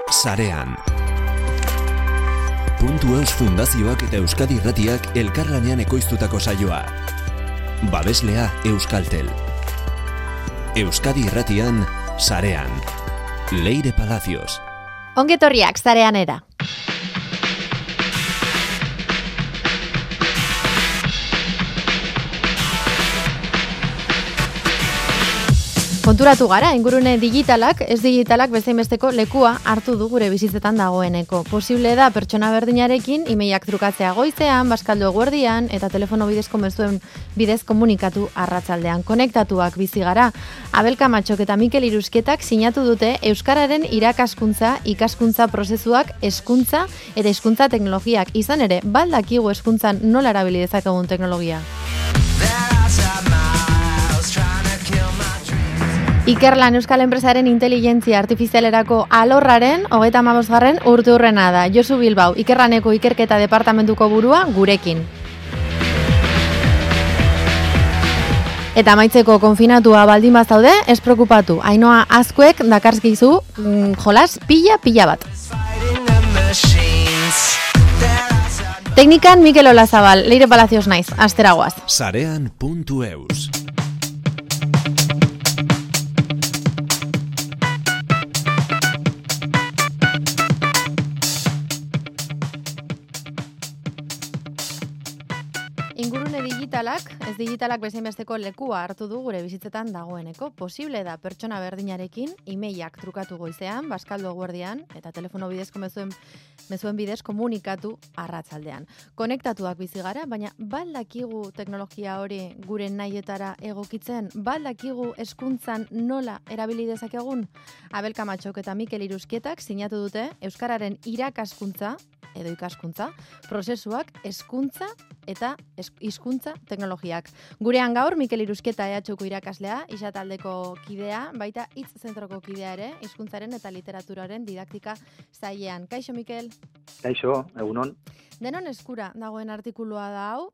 Sarean. Puntu.eus Fundazioak eta Euskadi Irratiak elkarlanean ekoiztutako saioa. Babeslea Euskaltel. Euskadi Irratian, Sarean. Leire Palacios. Ongetorriak Sareanera. Konturatu gara, ingurune digitalak, ez digitalak bezainbesteko lekua hartu du gure bizitzetan dagoeneko. Posible da pertsona berdinarekin emailak trukatzea goizean, bazkaldu eguerdian eta telefono bidezko mezuen bidez komunikatu arratsaldean. Konektatuak bizi gara. Abel Kamatxok eta Mikel Iruzketak sinatu dute euskararen irakaskuntza, ikaskuntza prozesuak, hezkuntza eta hizkuntza teknologiak. Izan ere, baldakigu hezkuntzan nola erabili dezakegun teknologia. Ikerlan Euskal Enpresaren inteligentzia artifizialerako alorraren 35. urteurrena da. Josu Bilbao, Ikerlaneko ikerketa departamentuko burua gurekin. Eta amaitzeko konfinatua baldin bazaude, ez preokupatu. Ainhoa Azkuek dakarzkizu jolas pila bat. Teknikan Mikel Olazabal, Leire Palacios naiz, asteragoaz. Sarean.eus. Ingurune digitalak, ez digitalak bezainbesteko lekua hartu du gure bizitzetan dagoeneko. Posible da pertsona berdinarekin emailak trukatu goizean, bazkaldu eguerdian eta telefono bidezko mezuen bidez komunikatu arratsaldean. Konektatuak bizi gara, baina baldakigu teknologia hori gure nahietara egokitzen, baldakigu hezkuntzan nola erabili dezakegun. Abel Kamatxok eta Mikel Iruzketak sinatu dute euskararen irakaskuntza edo ikaskuntza, prozesuak, hezkuntza eta hizkuntza teknologiak. Gurean gaur Mikel Iruzketa EHUko irakaslea, isa taldeko kidea, baita hitz zentroko kidea ere, hizkuntzaren eta literaturaren didaktika sailean. Kaixo Mikel? Kaixo, egunon. Denon eskura dagoen artikulua da hau,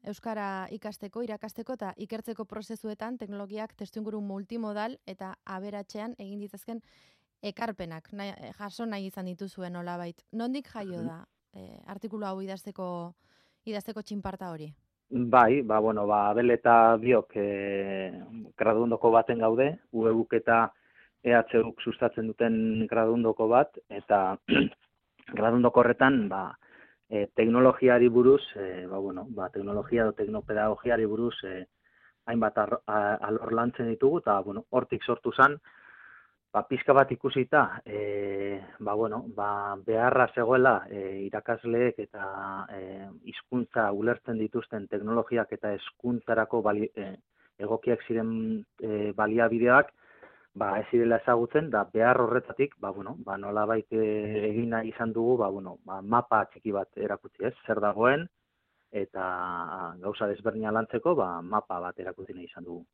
euskara ikasteko, irakasteko eta ikertzeko prozesuetan teknologiak testuinguru multimodal eta aberatsean egin ditzazken ekarpenak, jaso nahi izan dituzuen nolabait. Nondik jaio da artikulu hau idazteko txinparta hori? Bai, Abel eta biok graduondoko baten gaude, UEUk eta EHUk sustatzen duten graduondoko bat, eta graduondoko horretan teknologiari buruz, teknologia edo teknopedagogiari buruz hainbat alor lantzen ditugu, eta hortik sortu zen, pizka bat ikusita, beharra zegoela irakasleek eta hizkuntza ulertzen dituzten teknologiak eta hezkuntzarako egokiak ziren baliabideak, ez zirela ezagutzen, da behar horretatik, nolabait egin nahi izan dugu, mapa txiki bat erakutsi, zer dagoen, eta gauza desberdina lantzeko, mapa bat erakutsi nahi izan dugu.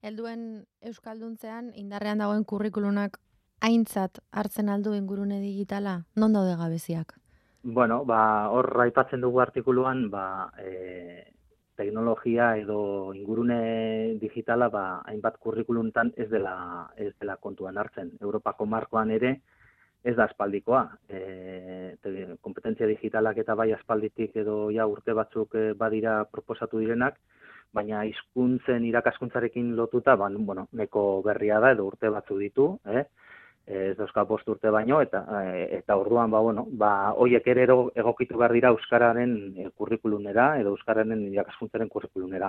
Helduen euskalduntzean indarrean dagoen kurrikulunak aintzat hartzen aldu ingurune digitala, non daude gabeziak? Hor aipatzen dugu artikuluan, teknologia edo ingurune digitala hainbat kurrikuluntan ez dela kontuan hartzen. Europako markoan ere ez da aspaldikoa. Kompetentzia digitalak eta bai aspalditik edo urte batzuk badira proposatu direnak, baina hizkuntzen irakaskuntzarekin lotuta, neko berria da edo urte batzu ditu, ez dauzka 5 urte baino, eta orduan, horiek ere egokitu behar dira euskararen kurrikulunera edo euskararen irakaskuntzaren kurrikulunera.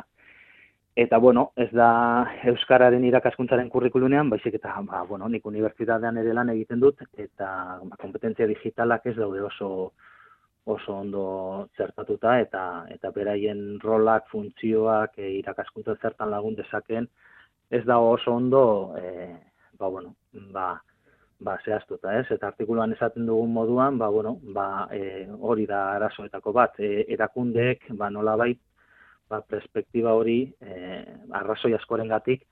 Eta, ez da euskararen irakaskuntzaren kurrikulunean, baizik eta, nik unibertsitatean ere lan egiten dut, eta kompetentzia digitalak ez daude oso ondo zertatuta eta beraien rolak, funtzioak, irakaskuntza zertan lagun dezakeen, ez da oso ondo zehaztuta, eta artikuluan esaten dugun moduan, hori da arazoetako bat, erakundeek nolabait perspektiba hori arrazoi askorengatik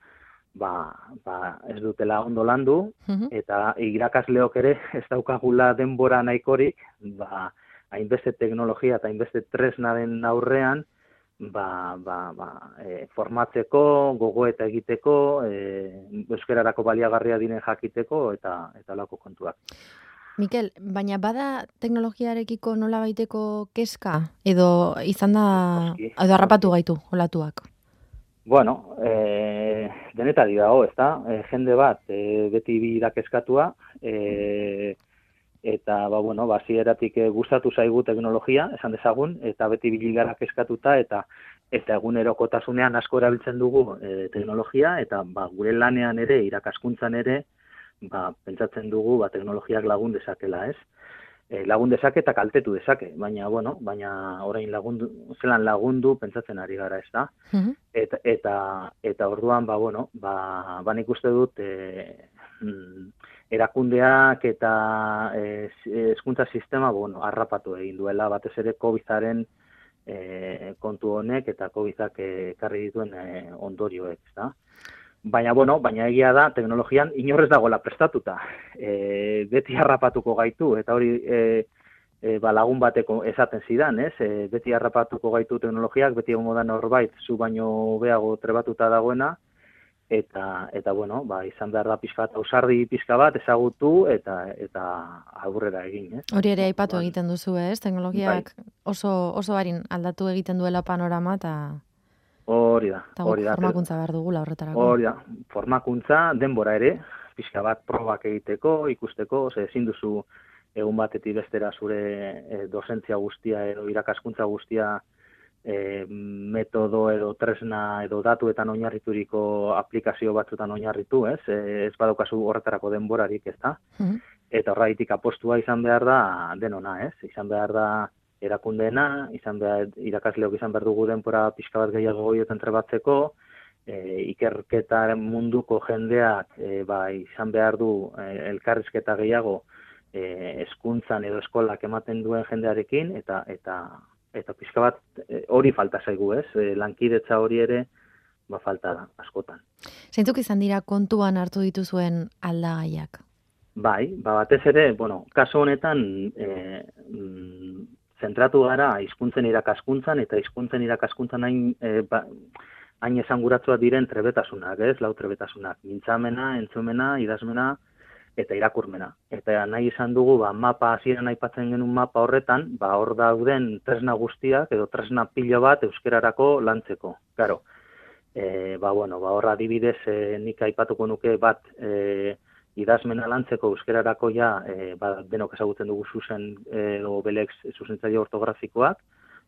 ez dutela ondo landu, eta irakasleok ere ez daukagula denbora nahikorik, hainbeste teknologia eta hainbeste tresnaren aurrean, formatzeko, gogoeta egiteko, euskararako baliagarria diren jakiteko eta lako kontuak. Mikel, baina bada teknologiarekiko nola baiteko keska edo izan da, edo harrapatu gaitu olatuak? Bueno, denetari dago, ezta? Jende bat beti birak eskatua, eta hasieratik gustatu zaigu teknologia, esan dezagun, eta beti biligarak eskatuta eta egunerokotasunean asko erabiltzen dugu teknologia, eta gure lanean ere, irakaskuntzan ere, pentsatzen dugu teknologiak lagun dezakela, ez? Lagun dezake eta kaltetu dezake, baina orain zelan lagundu pentsatzen ari gara, ez da? Eta orduan, nik uste dut erakundeak eta hezkuntza sistema, harrapatu egin duela, batez ere COVID-aren kontu honek eta COVID-ak ekarri dituen ondorioek, ez da? Baina egia da, teknologian inorrez dagoela prestatuta. Beti harrapatuko gaitu, eta hori lagun bateko esaten zidan, ez? Beti harrapatuko gaitu teknologiak, beti egongo da norbait, zu baino hobeago trebatuta dagoena, eta izan behar da pixka bat, ausardi pixka bat, ezagutu, eta aurrera egin, ez? Hori ere aipatu egiten duzu, ez? Teknologiak oso harin aldatu egiten duela panorama, eta... Hori da. Formakuntza behar dugula horretarako. Hori da, formakuntza, denbora ere, pixka bat probak egiteko, ikusteko, ezin duzu egun batetik bestera zure dozentzia guztia edo irakaskuntza guztia metodo edo tresna edo datuetan oinarrituriko aplikazio batzutan oinarritu, ez? Ez badaukazu horretarako denborarik, ez da? Eta horregatik apostua izan behar da denona, ez? Izan behar da erakundeena, irakasleok izan behar dugu denbora pixka bat gehiago goioten trebatzeko, ikerketa munduko jendeak izan behar du elkarrizketa gehiago hezkuntzan edo eskolak ematen duen jendearekin, eta pixka bat hori falta zaigu, ez? Lankidetza hori ere falta da, askotan. Zeintzuk izan dira kontuan hartu dituzuen aldagaiak? Batez ere, kasu honetan zentratu gara hizkuntzen irakaskuntzan, eta hizkuntzen irakaskuntzan hain esanguratsua diren trebetasunak, ez? Lau trebetasunak, mintzamena, entzumena, idazmena eta irakurmena. Eta nahi izan dugu, mapa, hasieran aipatzen genuen mapa horretan, hor dauden tresna guztiak, edo tresna pilo bat euskerarako lantzeko. Claro, hor adibidez nik aipatuko nuke bat idazmena lantzeko euskerarako denok ezagutzen dugu zuzen edo belex zuzentzaile ortografikoak,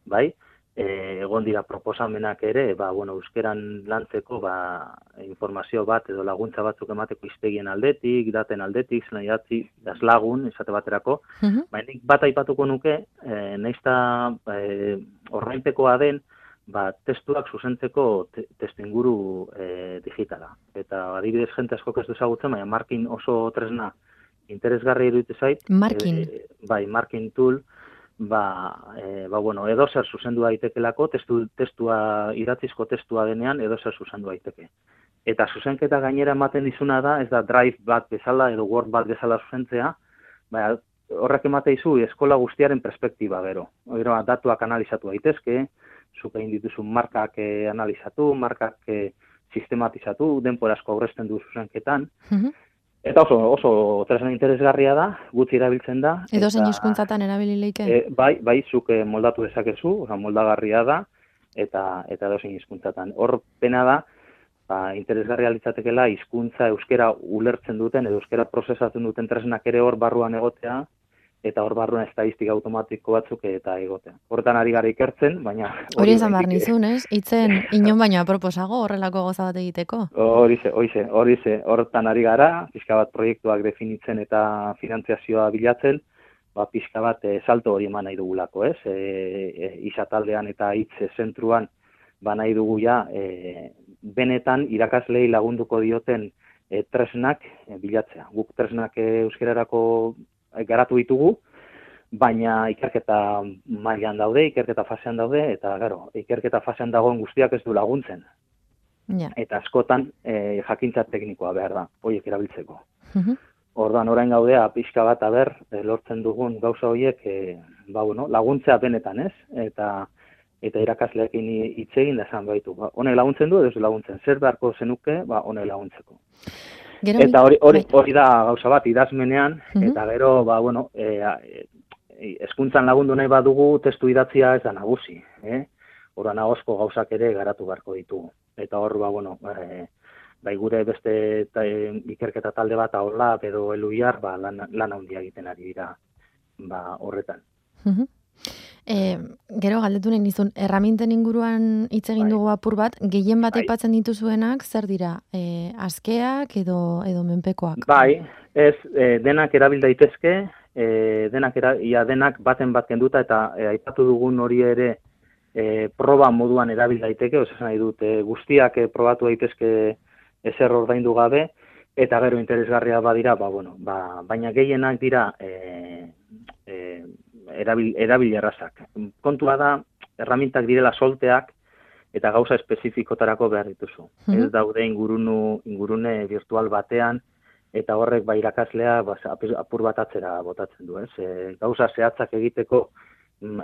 bai? Egon dira proposamenak ere, euskeran lantzeko informazio bat edo laguntza batzuk emateko hiztegien aldetik, daten aldetik, zelan idatzi, lagun, esate baterako. Nik bat aipatuko nuke, naizta ordainpekoa den, testuak zuzentzeko testuinguru digitala. Eta adibidez jente asko ez du ezagutzen, baina Markin oso tresna interesgarri iruditzen zait. Markin? Markin tool, edo zer zuzendu daitekelako, idatzizko testua denean edo zer zuzendu daiteke. Eta zuzenketa gainera ematen dizuna da, ez da Drive bat bezala edo Word bat bezala zuzentzea, horrek emate dizu eskola guztiaren perspektiba gero. Datuak analizatu daitezke, zuk egin dituzu markak analizatu, markak sistematizatu, denbora asko aurrezten du zuzenketan. Eta oso tresna interesgarria da, gutxi erabiltzen da. Edo zein hizkuntzatan erabili leike? Bai, zuk moldatu dezakezu, moldagarria da, eta edo zein hizkuntzatan. Hor pena da, interesgarria litzatekela hizkuntza euskera ulertzen duten, edo euskera prozesatzen duten tresnak ere hor barruan egotea, eta hor barruan estadistika automatiko batzuk eta egotea. Horretan ari gara ikertzen, baina... Hori esan behar nizun, ez? Itzen inon baino aproposago horrelako goza bat egiteko? Horize, horretan ari gara, pixka bat proiektuak definitzen eta finantziazioa bilatzen, pixka bat salto hori eman nahi dugulako, ez? Izataldean eta hitz zentruan nahi dugu benetan irakaslei lagunduko dioten tresnak bilatzea. Guk tresnak euskerarako garatu ditugu, baina ikerketa mailan daude, ikerketa fasean daude, eta ikerketa fasean dagoen guztiak ez du laguntzen. Eta askotan jakintza teknikoa behar da, horiek erabiltzeko. Orduan orain gaudea pixka bat lortzen dugun gauza horiek laguntzea benetan, ez? eta irakasleekin hitz egin da esan baitu. Ba, honek laguntzen du, edo ez laguntzen. Zer beharko zenuke, ba, honek laguntzeko. Eta hori da gauza bat, idazmenean, eta gero, ba, bueno, hezkuntzan lagundu nahi badugu, testu idatzia ez da nagusi. Horra nagozko gauzak ere garatu beharko ditugu. Eta hor, ba, bueno, bai gure beste ikerketa talde bat Aolab edo Eluiar, ba, lan handia egiten ari dira ba, horretan. Gero galdetu nahi nizun, erraminten inguruan hitz egin dugu apur bat, gehien bat aipatzen dituzuenak, zer dira? Askeak edo menpekoak? Bai, ez, denak erabil daitezke, denak baten bat kenduta, eta aipatu dugun hori ere proba moduan erabil daiteke, esan nahi dut, guztiak probatu daitezke ezer ordaindu gabe, eta gero interesgarria badira, ba, bueno, baina gehienak dira erabil errazak. Kontua da, erramintak direla solteak eta gauza espezifikotarako behar dituzu. Ez daude ingurune virtual batean eta horrek ba irakaslea apur bat atzera botatzen du. Gauza zehatzak egiteko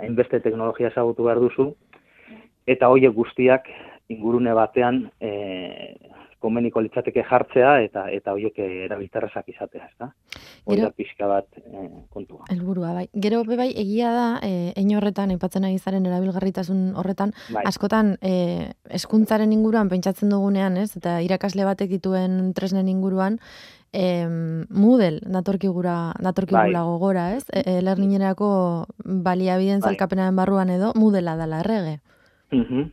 hainbeste teknologia ezagutu behar duzu eta horiek guztiak ingurune batean komeniko litzateke jartzea eta horiek erabilterrazak izatea, ezta? Hori da pixka bat kontua. Helburua, bai. Gero bai egia da, hein horretan, aipatzen ari zaren erabilgarritasun horretan, askotan hezkuntzaren inguruan pentsatzen dugunean, ez? Eta irakasle batek dituen tresnen inguruan, Moodle datorkigula gogora, ez? Learningerako baliabideen zalkapenaren barruan edo, Moodlea dela errege.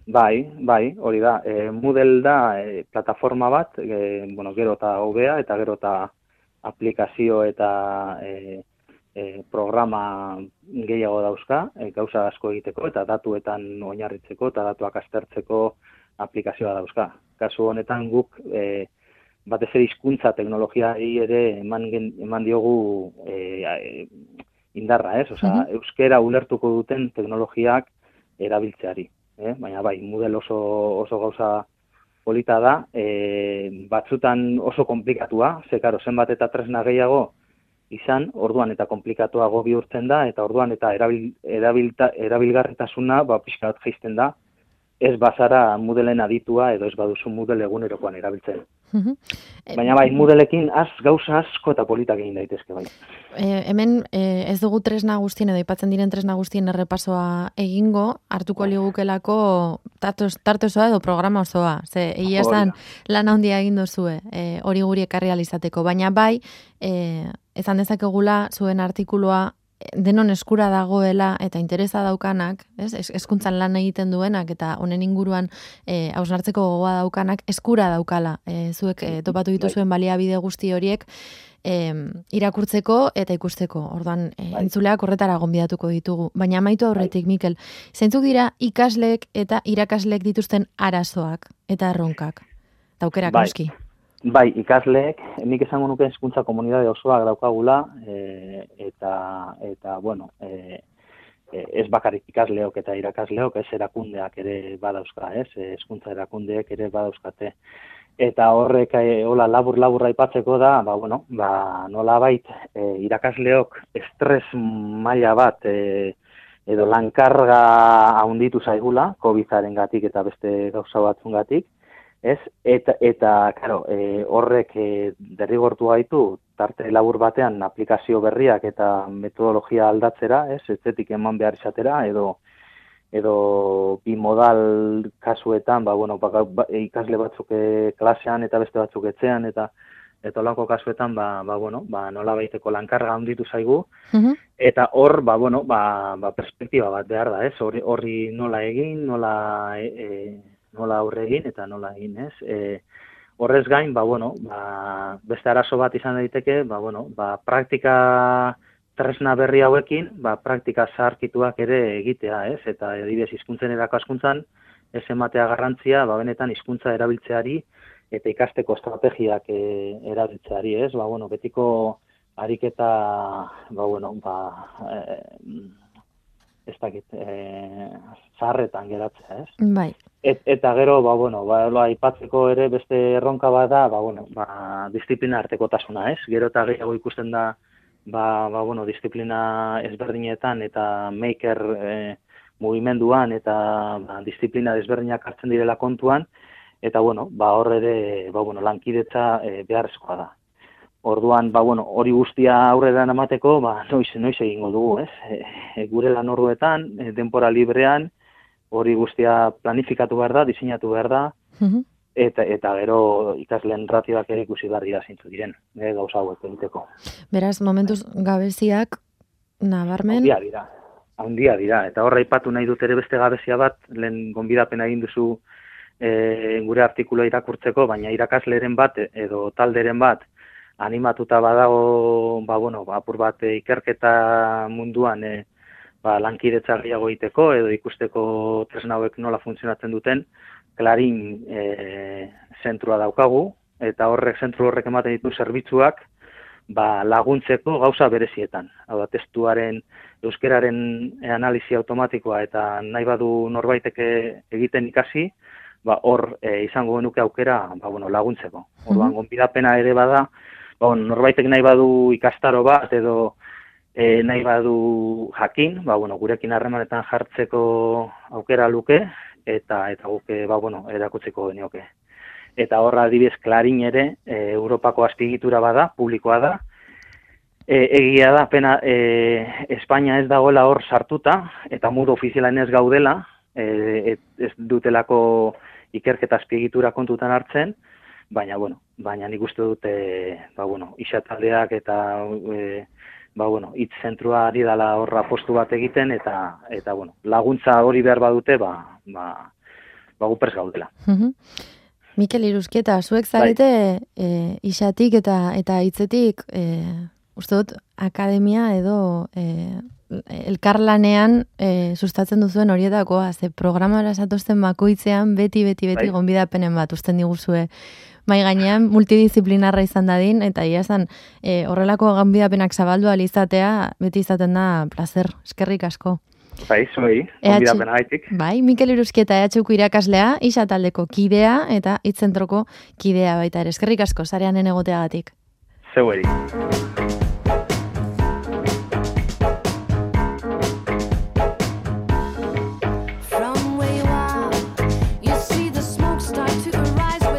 Bai, hori da. Moodle da plataforma bat, gero eta hobea eta gero eta aplikazio eta programa gehiago dauzka, gauza asko egiteko eta datuetan oinarritzeko eta datuak aztertzeko aplikazioa dauzka. Kasu honetan guk batez ere hizkuntza teknologiari ere eman diogu indarra, ez? Osea, euskera ulertuko duten teknologiak erabiltzeari. Baina bai, Moodle oso gauza polita da, batzutan oso komplikatua, karo, zenbat eta tresna gehiago izan, orduan eta komplikatuago bihurtzen da, eta orduan eta erabilgarritasuna pixka bat jaisten da, ez bazara Moodleen aditua edo ez baduzu Moodle egunerokoan erabiltzen. Baina bai, Moodleekin gauza asko eta politak egin daitezke bai. Hemen ez dugu tresna guztien edo aipatzen diren tresna guztien errepasoa egingo, hartuko ligukelako tarte osoa edo programa osoa. Ze egia esan lan handia egin duzue, hori guri ekarri ahal izateko, baina bai, esan dezakegula zuen artikulua denon eskura dagoela eta interesa daukanak, hezkuntzan lan egiten duenak eta honen inguruan hausnartzeko gogoa daukanak eskura daukala. Zuek topatu dituzuen baliabide guzti horiek irakurtzeko eta ikusteko. Orduan, entzuleak horretara gonbidatuko ditugu. Baina amaitu aurretik, Mikel, zeintzuk dira ikasleek eta irakasleek dituzten arazoak eta erronkak? Taukerak noski. Bai, ikasleek, nik esango nuke hezkuntza komunitate osoak daukagula, eta bueno, ez bakarrik ikasleok eta irakasleok, ez erakundeak ere badauzka, hezkuntza erakundeek ere badauzkate. Eta horrek hola labur aipatzeko da, nolabait irakasleok estres maila bat edo lankarga handitu zaigula, COVID-arengatik eta beste gauza batzungatik. Eta claro, horrek derrigortu gaitu tarte labur batean aplikazio berriak eta metodologia aldatzera, etzetik eman behar izatera, edo bimodal kasuetan, ikasle batzuk klasean eta beste batzuk etxean, eta olako kasuetan, nola baiteko lankarga handitu zaigu, eta hor, perspektiba bat behar da, horri nola egin, nola aurre egin eta nola egin, ez? Horrez gain, beste arazo bat izan daiteke, praktika tresna berri hauekin, praktika zaharkituak ere egitea, ez? Eta adibidez hizkuntzen irakaskuntzan, ez ematea garrantzia, benetan hizkuntza erabiltzeari eta ikasteko estrategiak erabiltzeari, ez? Betiko ariketa, ez dakit, zaharretan geratzea, ez? Bai. Eta gero, aipatzeko ere beste erronka bat da, disiplina artekotasuna, ez? Gero eta gehiago ikusten da, disiplina ezberdinetan eta maker mugimenduan eta disiplina desberdinak hartzen direla kontuan, eta hor ere lankidetza beharrezkoa da. Orduan, hori guztia aurrera emateko, noiz egingo dugu, ez? Gure lan orduetan, denbora librean, hori guztia planifikatu behar da, diseinatu behar da, eta gero ikasleen ratioak ere ikusi behar dira zintzu diren, gauza hauek egiteko. Beraz, momentuz gabeziak nabarmen? Handia dira, eta horra aipatu nahi dut ere beste gabezia bat, lehen gonbidapena egin duzu gure artikuloa irakurtzeko, baina irakasleren bat edo talderen bat animatuta badago, apur bat ikerketa munduan lankidetza gehiago egiteko edo ikusteko tresna hauek nola funtzionatzen duten, Clarín zentrua daukagu, eta zentru horrek ematen ditu zerbitzuak laguntzeko gauza berezietan. Hau da, testuaren, euskeraren analisi automatikoa eta nahi badu norbaitek egiten ikasi, hor izango genuke aukera laguntzeko. Orduan, gonbidapena ere bada, norbaitek nahi badu ikastaro bat edo nahi badu jakin, gurekin harremanetan jartzeko aukera luke, eta guk erakutzeko genioke. Eta horra adibidez Clarín ere Europako azpiegitura bada, publikoa da. Egia da, pena Espainia ez dagoela hor sartuta, eta modu ofizialan ez gaudela, ez dutelako ikerketa azpiegitura kontutan hartzen, baina nik uste dute, isataldeak eta hitz zentrua ari dela horra postu bat egiten, eta laguntza hori behar badute, gupers gaudela. Mikel Iruzkieta, zuek zarete isatik eta hitzetik, uste dut, akademia edo elkarlanean sustatzen duzuen horietakoa, ze programara zatozten bakoitzean beti gonbidapenen bat usten diguzue. Mai gainean multidisciplinarra izan dadin, eta ia esan horrelako gonbidapenak zabaldu alizatea beti izaten da placer, eskerrik asko. Zuei, gonbidapena gaitik. Mikel Iruzkieta EHUko irakaslea, isa taldeko kidea eta hitzentroko kidea baita ere. Eskerrik asko, sareanen egoteagatik. Zeueri.